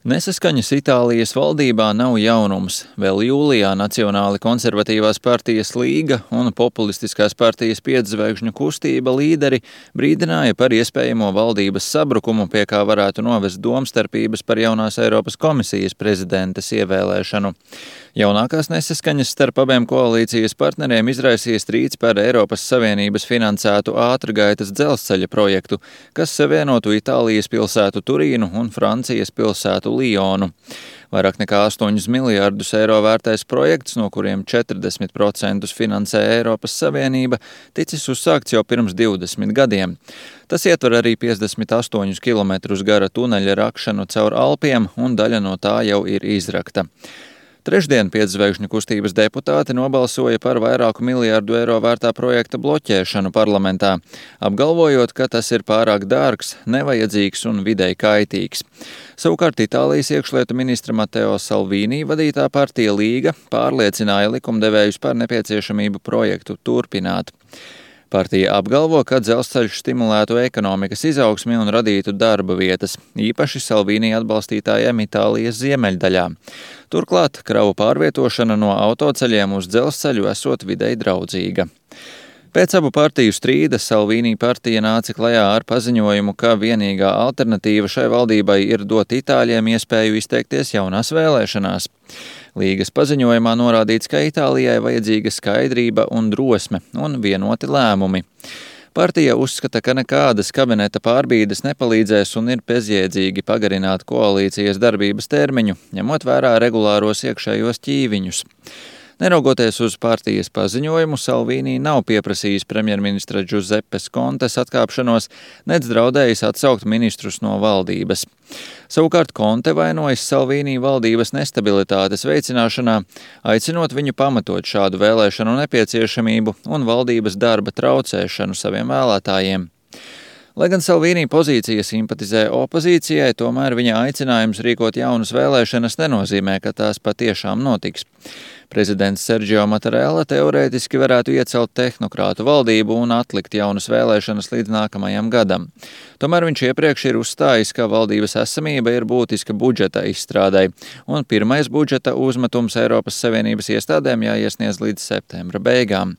Nesaskaņas Itālijas valdībā nav jaunums. Vēl jūlijā Nacionāli konservatīvās partijas Līga un populistiskās partijas Pietzvaigžņu kustība līderi brīdināja par iespējamo valdības sabrukumu, pie kā varētu novest domstarpības par jaunās Eiropas komisijas prezidentes ievēlēšanu. Jaunākās nesaskaņas starp abiem koalīcijas partneriem izraisīja strīds par Eiropas Savienības finansētu ātrgaitas dzelzceļa projektu, kas savienotu Itālijas pilsētu Turīnu un Francijas pilsētu Lionu. Vairāk nekā 8 miljārdus eiro vērtais projekts, no kuriem 40% finansē Eiropas Savienība, ticis uzsākts jau pirms 20 gadiem. Tas ietver arī 58 km gara tuneļa rakšanu caur Alpiem, un daļa no tā jau ir izrakta. Trešdien Pietzvaigžņu kustības deputāti nobalsoja par vairāku miljārdu eiro vērtā projekta bloķēšanu parlamentā, apgalvojot, ka tas ir pārāk dārgs, nevajadzīgs un videi kaitīgs. Savukārt Itālijas iekšlietu ministra Matteo Salvini vadītā partija Līga pārliecināja likumdevējus par nepieciešamību projektu turpināt. Partija apgalvo, ka dzelzceļš stimulētu ekonomikas izaugsmi un radītu darba vietas, īpaši Salvini atbalstītājiem Itālijas ziemeļdaļā. Turklāt kravu pārvietošana no autoceļiem uz dzelzceļu esot videi draudzīga. Pēc abu partiju strīda Salvini partija nāca klajā ar paziņojumu, ka vienīgā alternatīva šai valdībai ir dot itāļiem iespēju izteikties jaunās vēlēšanās. Līgas paziņojumā norādīts, ka Itālijai vajadzīga skaidrība un drosme un vienoti lēmumi. Partija uzskata, ka nekādas kabineta pārbīdes nepalīdzēs un ir bezjēdzīgi pagarināt koalīcijas darbības termiņu, ņemot vērā regulāros iekšējos ķīviņus. Neraugoties uz partijas paziņojumu, Salvini nav pieprasījis premjerministra Giuseppes Contes atkāpšanos, nec draudējis atsaukt ministrus no valdības. Savukārt Conte vainojas Salvini valdības nestabilitātes veicināšanā, aicinot viņu pamatot šādu vēlēšanu nepieciešamību un valdības darba traucēšanu saviem vēlētājiem. Lai gan Salvini pozīcija simpatizē opozīcijai, tomēr viņa aicinājums rīkot jaunas vēlēšanas nenozīmē, ka tās patiešām notiks. Prezidents Sergio Mattarella teorētiski varētu iecelt tehnokrātu valdību un atlikt jaunas vēlēšanas līdz nākamajam gadam. Tomēr viņš iepriekš ir uzstājis, ka valdības esamība ir būtiska budžeta izstrādei, un pirmais budžeta uzmetums Eiropas Savienības iestādēm jāiesniedz līdz septembra beigām.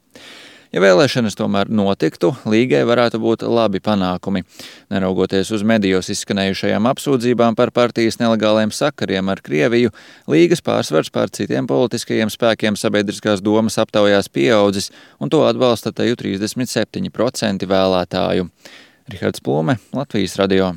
Ja vēlēšanas tomēr notiktu, Līgai varētu būt labi panākumi. Neraugoties uz medijos izskanējušajām apsūdzībām par partijas nelegāliem sakariem ar Krieviju, Līgas pārsvars pār citiem politiskajiem spēkiem sabiedriskās domas aptaujās pieaudzis, un to atbalsta teju 37% vēlētāju. Rihards Plūme, Latvijas radio.